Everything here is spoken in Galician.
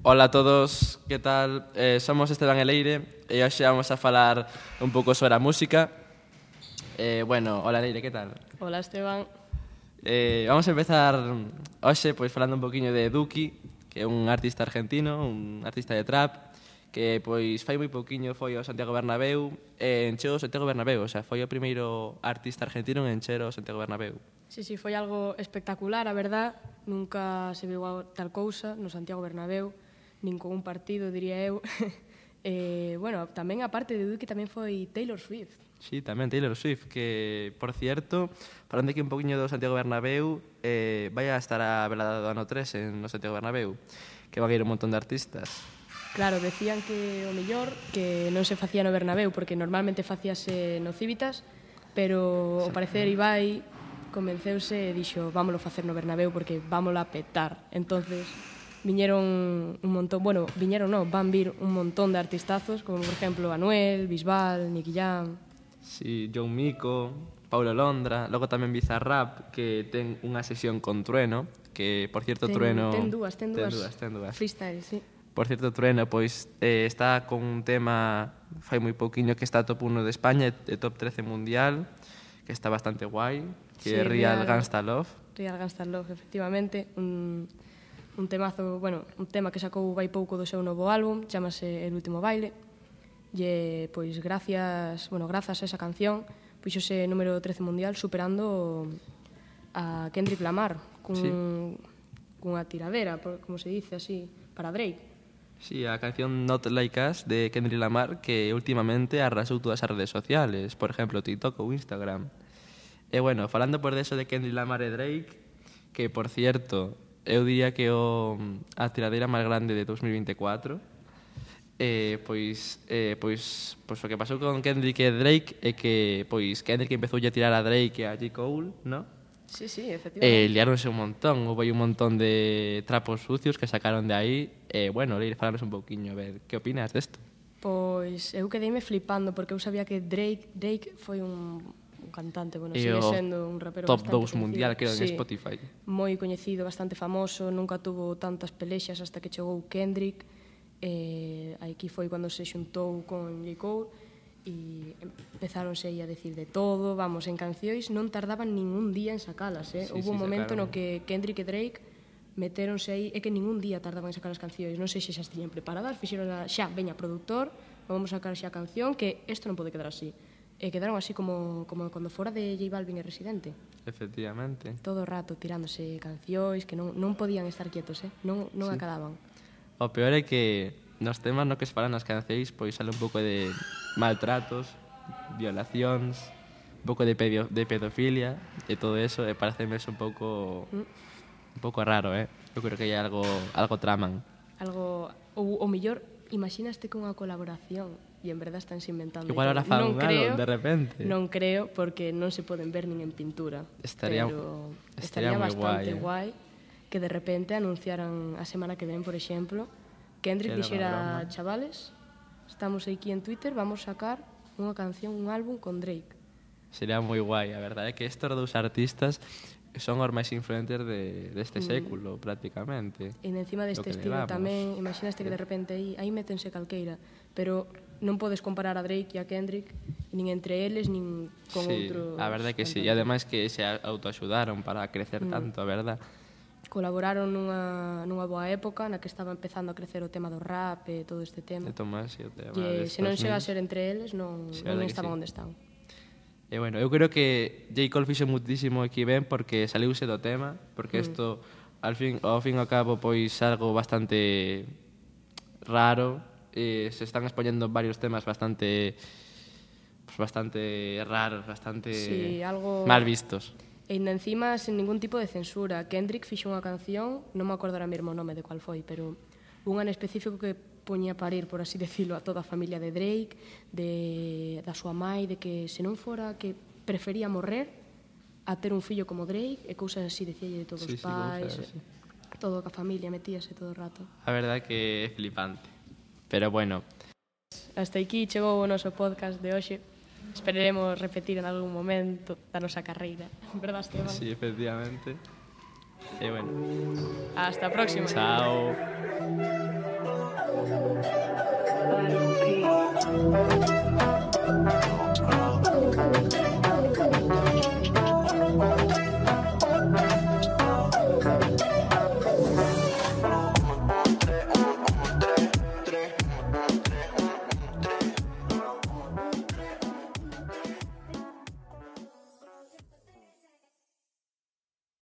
Ola a todos, que tal? Somos Esteban e Leire e hoxe vamos a falar un pouco sobre a música. Hola Leire, que tal? Hola Esteban. Vamos a empezar hoxe pois falando un poquinho de Duki, que é un artista argentino, un artista de trap, que pois fai moi pouquiño foi ao Santiago Bernabéu e encheu o Santiago Bernabéu, o sea, foi o primeiro artista argentino en encher o Santiago Bernabéu. Sí, foi algo espectacular, a verdad. Nunca se viu tal cousa no Santiago Bernabéu, nin con un partido, diría eu. Tamén a parte de Duki tamén foi Taylor Swift. Sí, tamén Taylor Swift, que, por cierto, falando aquí un poquinho do Santiago Bernabéu, vai a estar a velada do ano 3 no Santiago Bernabéu, que van a ir un montón de artistas. Claro, decían que o mellor que non se facía no Bernabéu, porque normalmente facíase no Civitas, pero ao parecer Ibai convenceuse e dixo, vámolo facer no Bernabéu porque vámolo a petar. Entonces, van vir un montón de artistazos, como por exemplo Anuel, Bisbal, Nicky Jam. Sí, John Mico, Paulo Londra, logo tamén Bizarrap, que ten unha sesión con Trueno, que, por cierto, Trueno... Ten dúas. Freestyle, sí. Por cierto, Trueno, pois, está con un tema fai moi pouquiño que está top 1 de España e top 13 mundial, que está bastante guai, que é Real Gangsta Love. Real Gangsta Love, efectivamente, un temazo, un tema que sacou vai pouco do seu novo álbum, chamase El último baile, e pois grazas a esa canción, puxose número 13 mundial superando a Kendrick Lamar cunha tiradera, como se dice así, para Drake. Sí, a canción Not Like Us de Kendrick Lamar, que últimamente arrasou todas as redes sociales, por exemplo, TikTok ou Instagram. E falando por eso de Kendrick Lamar e Drake, que, por cierto, eu diría que a tiradeira máis grande de 2024, pois o que pasou con Kendrick e Drake é que Kendrick empezou a tirar a Drake e a J. Cole, ¿no? Sí, efectivamente. Liáronse un montón, houve un montón de trapos sucios que sacaron de aí. Leire, falanos un pouquiño, a ver, que opinas desto? Pois eu quedeime flipando, porque eu sabía que Drake foi un cantante, sigue sendo un rapero top bastante 2 mundial, creo, sí, en Spotify. Moi coñecido, bastante famoso, nunca tuvo tantas pelexas hasta que chegou Kendrick. Aquí foi cando se xuntou con J. Cole e empezáronse aí a decir de todo, en cancións non tardaban ningún día en sacalas, Houve un momento no que Kendrick e Drake metéronse aí, é que ningún día tardaban en sacar as cancións, non sei se xa estiñan preparadas, fixeron xa, veña, produtor, vamos a sacar xa a canción, que isto non pode quedar así. E quedaron así como cando fora de J Balvin e Residente. Efectivamente. Todo o rato tirándose cancións que non podían estar quietos, non acababan. O peor é que nos temas no que se falan nas cancións pois sale un pouco de maltratos, violacións, un pouco de pedofilia e todo eso, e pareceme un pouco raro, Eu creo que hai algo traman. O mellor, imaginaste con unha colaboración e en verdad estánse inventando. Igual ahora fan un álbum de repente. Non creo, porque non se poden ver nin en pintura. Estaría bastante guai que de repente anunciaran a semana que ven, por exemplo, Kendrick dixera, chavales, estamos aquí en Twitter, vamos sacar unha canción, un álbum con Drake. Sería moi guai, a verdade é que estes dous artistas son os máis influentes deste século, prácticamente. E encima deste estilo tamén, imaginaste que de repente aí métense calqueira, pero non podes comparar a Drake e a Kendrick nin entre eles, nin con outros. Sí, a verdade é que sí, e ademais que se autoaxudaron para crecer tanto, a verdade. Colaboraron nunha boa época na que estaba empezando a crecer o tema do rap e todo este tema. De Tomás e o tema e se non chega a ser entre eles, non estaban onde están. E eu creo que J. Cole fixo muitísimo aquí ben porque saliuse do tema, porque isto ao fin e ao cabo pois algo bastante raro, se están expoñendo varios temas bastante raros, bastante mal vistos. E ainda encima sen ningún tipo de censura. Kendrick fixo unha canción, non me acordo ahora mesmo o nome de cual foi, pero unha en específico que poñía a parir, por así decirlo, a toda a familia de Drake, da súa mai, de que se non fora que prefería morrer a ter un fillo como Drake, e cousas así, decíalle de todos os pais, todo a familia metíase todo o rato. A verdade que é flipante. Pero hasta aquí chegou o noso podcast de hoxe. Esperaremos repetir en algún momento da nosa carreira, verdad, Esteban? Sí, efectivamente. E hasta a próxima. Chao.